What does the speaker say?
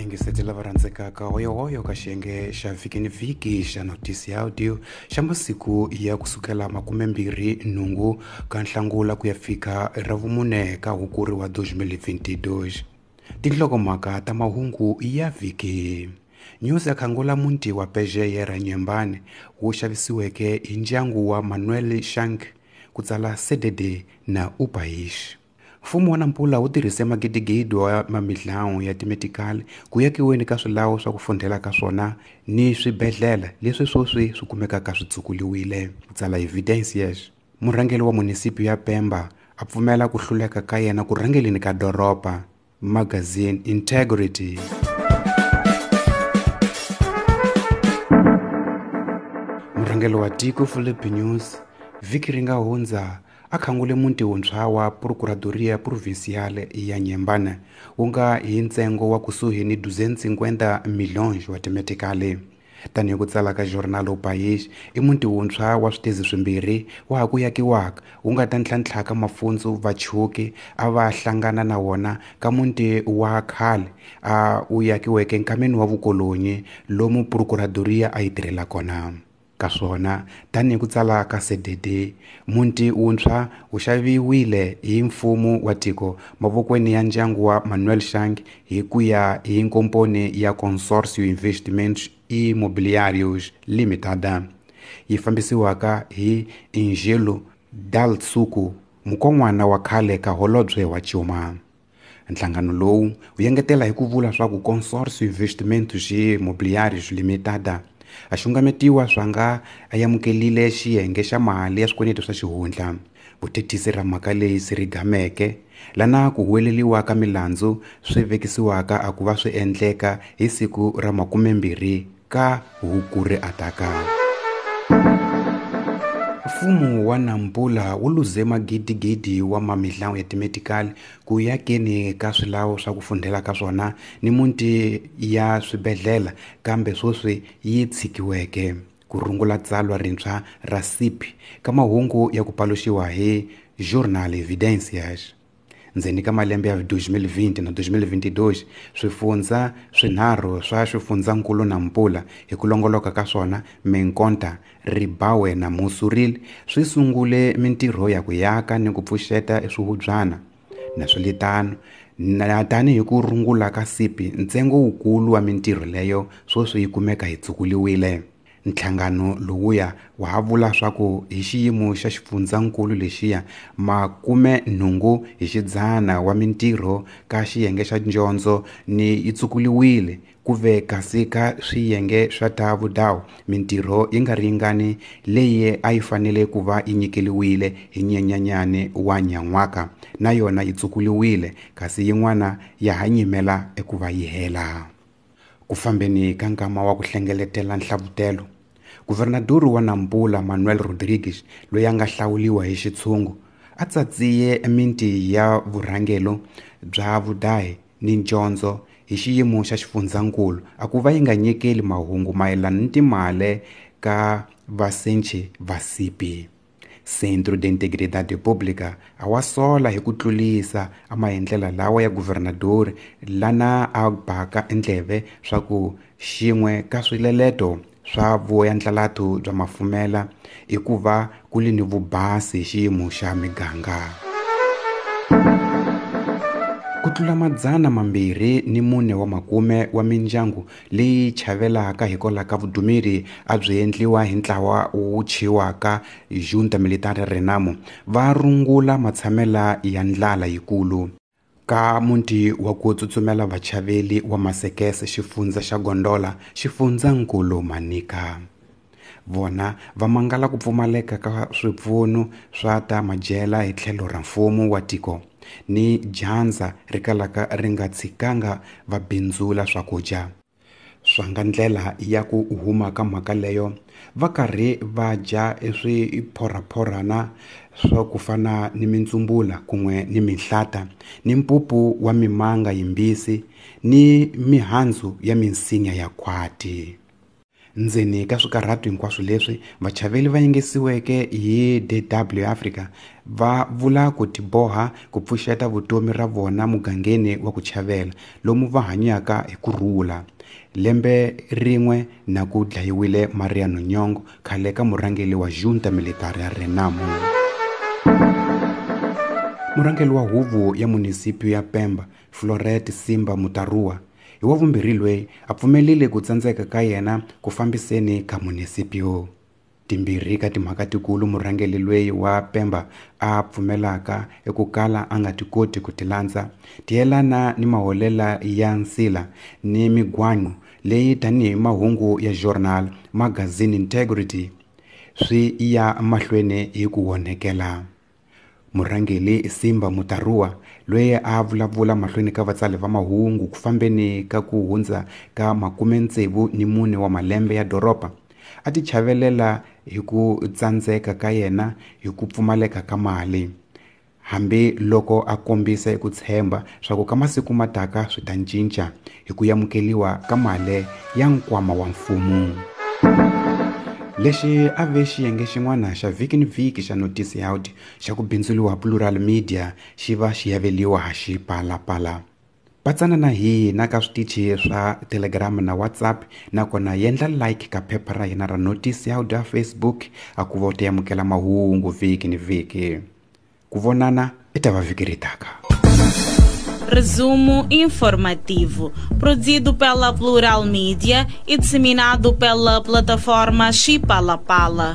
Vayingiseti lava rhandzekaka, hoyohoyo ka xiyenge xa vhiki ni vhiki xa Notice ya Audio xa masiku ya kusukela 28 ka Nhlangula ku ya fika Ravumune ka Hukuri wa 2022. Tinhlokomhaka ta mahungu ya vhiki. News ya khangula muti wa Pejeye ra Nyembane wu xavisiweke hi ndyangu wa Manuel Shank ku tsala CDD na Upaish. Mfumo wa Nampula wu tirhise magidigidi wa mamidlawu ya timetikali ku yakiweni ka swilawu swa ku fundhela ka swona ni swibedhlele leswi sweswi swi kumekaka swi tsukuliwile, ku tsala Evidencias. Murhangeri wa munisipi ya Pemba a pfumela ku hluleka ka yena ku rhangeleni ka doroba. Magazine Integrity. Murhangeri wa tiko Philip News vhiki ri nga hundza a khangule muti wuntshwa wa Procuradoria Provincial ya Nyembane wu nga hi ntsengo wa kusuhi ni 250 milhões wa timetikali. Tanihi ku tsala ka Jornal O País, i muti wuntshwa wa switezi swimbirhi wa ha ku yakiwaka wu nga ta ntlhantlhaka mafundzu vachuki a va hlangana na wona ka muti wa khale a wu yakiweke nkameni wa vukolonyi lomu Procuradoria a yi tirhela kona. Ka swona, tanihi ku tsala ka CDD, muti wuntshwa wu xaviwile hi mfumo wa tiko mavokweni ya ndyangu wa Manuel Shank hi ku ya hi nkomponi ya Consórcio Investimentos Imobiliários Limitada, yi fambisiwaka hi Angelo Dalsuku, mukon'wana wa khale ka holobye wa Cuma. Nhlangano lowu wu engetela hi ku vula swa ku Consórcio Investimentos Imobiliários Limitada a xungametiwa swa nga amukelile xiyenge xa mali ya swikweleti swa xihundla. Vuthethisi ra mhaka leyi swi rigameke lana ku huweleliwa ka milandzu swi vekisiwaka a ku va swi endleka hi siku ra 20 ka Hukuri ataka. Mfumo wa Nampula wu luze magidigidi wa mamidlawu ya timetikali ku yakeni ka swilawu swa ku fundhela ka swona ni muti ya swibedhlele kambe sweswi yi tshikiweke ku rungula tsalwa rintshwa ra SIP ka mahungu ya ku paluxiwa hi Jornal Evidencias. Ndzeni ka malembe ya 2020 na 2022, swifundza swinharhu swa xifundzankulu Nampula hi ku longoloka ka swona Menkonta, Ribawe na Musuril swi sungule mintirho ya ku yaka ni ku pfuxeta swihubyana. Naswilitano, na tanihi ku rungula ka SIP, ntsengo wukulu wa mintirho leyo sweswi yi kumeka yi tsukuliwile. Nhlangano lowuya wa ha vula swa ku hi xiyimo xa xifundzankulu lexiya 80 hi xidzana wa mintirho ka xiyenge xa dyondzo ni yi tsukuliwile ku ve kasi ka swiyenge swa ta vudawu mintirho yi nga ringani leyi a yi fanele ku va yi nyikeliwile hi Nyenyanyane wa nyan'waka na yona yi tsukuliwile kasi yin'wana ya ha nyimela eku va yi hela. Ku fambeni ka nkama wa ku hlengeletela nhlavutelo, Guvernador wa Nampula Manuel Rodrigues loyi a nga hlawuliwa hi xitshungu a tsatsiye minti ya vurhangelo bya vudahi ni njondzo hi xiyimo xa xifundzankulu a ku va yi nga nyikeli mahungu mayelana ni timali ka vasenchi va SIP. Centro de Integridade Pública a wa sola hi ku tlulisa a maendlela lawa ya guvernador lana a baka endleve swa ku xin'we ka swileleto swa vuendlalatu bya mafumela i ku va ku li ni vubasi hi xiyimo xa miganga. Ku tlula 240 wa mindyangu leyi chavelaka hikwalaho ka vudumeri a byi endliwa hi ntlawa wu chiwaka Junta Militar Renamo va rungula matshamela ya ndlala yikulu. Ka muti wa ku tsutsumela vachaveli wa Masekese xifundza xa Gondola xifundzankulu Manica. Vona va mangala ku pfumaleka ka swipfuno swa ta madyela hi tlhelo ra mfumo wa tiko ni dyandza ri kalaka ri nga tshikanga va bindzula swakudya. Swa nga ndlela ya ku huma ka mhaka leyo va karhi va dya eswiphorhaphorhana swa ku fana ni mintsumbula kun'we ni minhlata ni mpupu wa mimanga yimbisi ni mihandzu ya minsinya ya khwati. Ndzeni ka swikarhato hinkwaswo leswi vachaveli va yingisiweke hi DW Africa va vula ku tiboha ku pfuxeta vutomi ra vona mugangeni wa ku chavela lomu va hanyaka hi ku rhula. Lembe rin'we na ku dlayiwile Mariano Nhongo, khale ka murhangeri wa Junta Militar ya Renamo. Murhangeri wa huvo ya munisipio ya Pemba, Floret Simba Mutarua, hi wa vumbirhi loyi a pfumelile ku tsandzeka ka yena ku fambiseni ka munisipio. Timbirhi ka timhaka tikulu murhangeri loyi wa Pemba a pfumelaka eku kala a nga ti koti ku ti landza ti yelana ni maholela ya nsila ni migwanyu leyi tanihi mahungu ya journal magazine Integrity swi ya mahlweni hi ku onhekela. Murhangeri Simba Mutarua loyi a vulavula mahlweni ka vatsali va mahungu ku fambeni ka ku hundza ka 64 wa malembe ya doroba a ti chavelela hi ku tsandzeka ka yena hi ku pfumaleka ka mali, hambi loko a kombisa ku tshemba swa ku ka masiku mataka swi ta cinca hi ku amukeliwa ka mali ya nkwama wa mfumo. Lexi a ve xiyenge xin'wana xa vhiki ni vhiki xa Notice Out xa ku bindzuliwa Plural Media xi va xi yaveliwa ha xipalapala. Patsana na hina ka switichi swa Telegram na WhatsApp, nakona yendla like ka phepha ra hina ra Notice Out ya Facebook a ku va u ta amukela mahungu vhiki ni vhiki. Ku vonana i ta va vhiki ri taka. Resumo informativo, produzido pela Plural Mídia e disseminado pela plataforma Chipalapala.